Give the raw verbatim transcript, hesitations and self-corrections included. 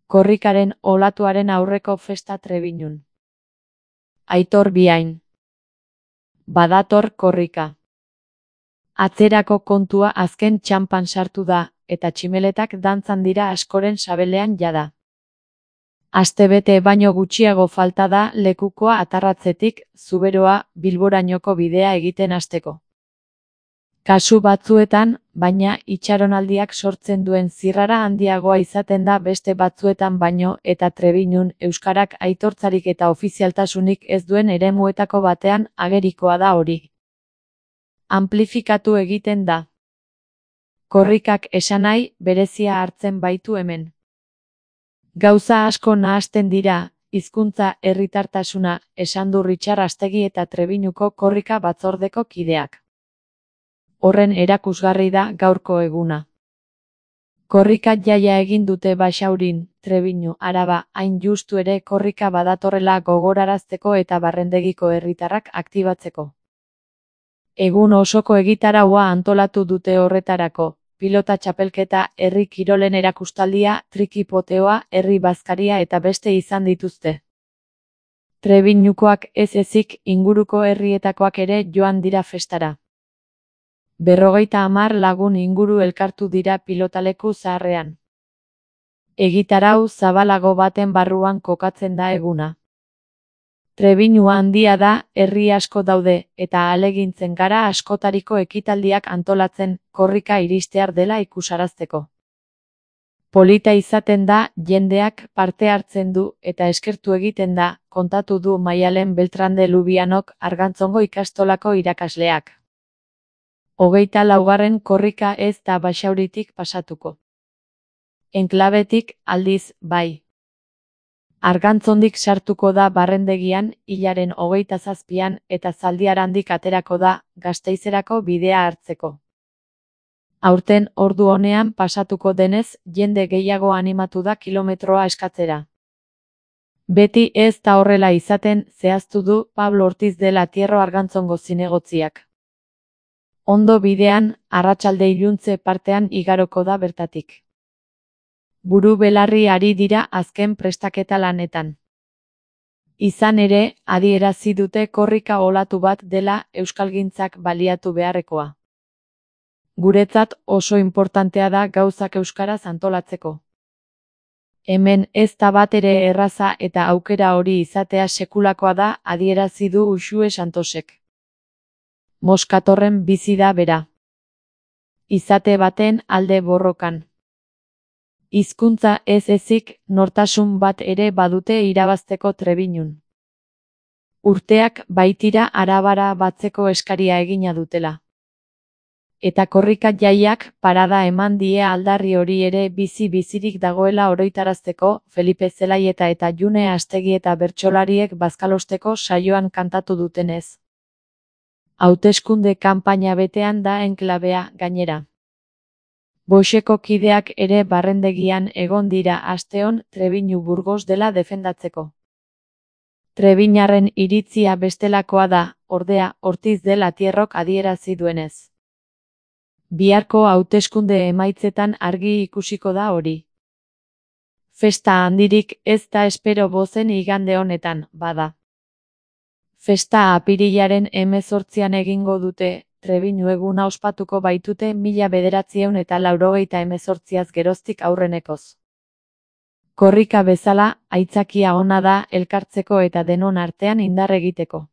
Korrikaren olatuaren aurreko festa Trebiñun. Aitor Biain. Badator korrika. Atzerako kontua azken txanpan sartu da, eta tximeletak dantzan dira askoren sabelean jada. Astebete baino gutxiago falta da lekukoa atarratzetik Zuberoa Bilborainoko bidea egiten hasteko. Kasu batzuetan, baina, itxaronaldiak sortzen duen zirrara handiagoa izaten da beste batzuetan baino eta Trebiñun euskarak aitortzarik eta ofizialtasunik ez duen eremuetako batean agerikoa da hori. Amplifikatu egiten da. Korrikak esanahi berezia hartzen baitu hemen. Gauza asko nahasten dira, hizkuntza herritartasuna, esan du Ritxar Astegi eta Trebiñuko korrika batzordeko kideak. Horren erakusgarri da gaurko eguna. Korrika jaia egin dute Baixaurin, Trebiñu, Araba, hain justu ere korrika badatorrela gogorarazteko eta Barrendegiko herritarrak aktibatzeko. Egun osoko egitaraua antolatu dute horretarako, pilota txapelketa, herri kirolen erakustaldia, trikipoteoa, herri bazkaria eta beste izan dituzte. Trebiñukoak ez ezik inguruko herrietakoak ere joan dira festara. Berrogeita hamar lagun inguru elkartu dira pilotaleku zaharrean. Egitarau zabalago baten barruan kokatzen da eguna. Trebiñu handia da, herri asko daude, eta ahalegintzen gara askotariko ekitaldiak antolatzen, korrika iristear dela ikusarazteko. Polita izaten da, jendeak parte hartzen du, eta eskertu egiten da, kontatu du Maialen Beltrande Lubianok Argantzongo ikastolako irakasleak. Hogeita laugarren korrika ez da Baixauritik pasatuko. Enklabetik, aldiz, bai. Argantzondik sartuko da Barrendegian, hilaren hogeita zazpian, eta Zaldiarandik aterako da, Gasteizerako bidea hartzeko. Aurten ordu honean pasatuko denez, jende gehiago animatu da kilometroa eskatzera. Beti ez da horrela izaten, zehaztu du Pablo Ortiz de la Tierro Argantzongo zinegotziak. Ondo bidean, arratsalde iluntze partean igaroko da bertatik. Buru belarri ari dira azken prestaketa lanetan. Izan ere, adierazi dute korrika olatu bat dela euskalgintzak baliatu beharrekoa. Guretzat oso inportantea da gauzak euskaraz antolatzeko. Hemen ez da bat ere erraza eta aukera hori izatea sekulakoa da, adierazi du Uxue Santosek. Moskatorren bizi da bera. Izate baten alde borrokan. Hizkuntza ez ezik, nortasun bat ere badute irabazteko Trebiñun. Urteak baitira arabara batzeko eskaria egina dutela. Eta korrika jaiak parada eman die aldarri hori ere bizi-bizirik dagoela oroitarazteko, Felipe Zelaieta eta June Astegi eta bertsolariek bazkalosteko saioan kantatu dutenez. Hauteskunde kanpaina betean da enklabea, gainera. Boixeko kideak ere Barrendegian egon dira asteon Trebiñu Burgos dela defendatzeko. Trebiñarren iritzia bestelakoa da, ordea, Ortiz de la Tierrok adierazi duenez. Biharko hauteskunde emaitzetan argi ikusiko da hori. Festa handirik ez da espero bozen igande honetan, bada. Festa apirilaren hemezortzian egingo dute, Trebiñu eguna ospatuko baitute mila bederatziehun eta laurogeita hemezortziaz geroztik aurrenekoz. Korrika bezala, aitzakia ona da elkartzeko eta denon artean indar egiteko.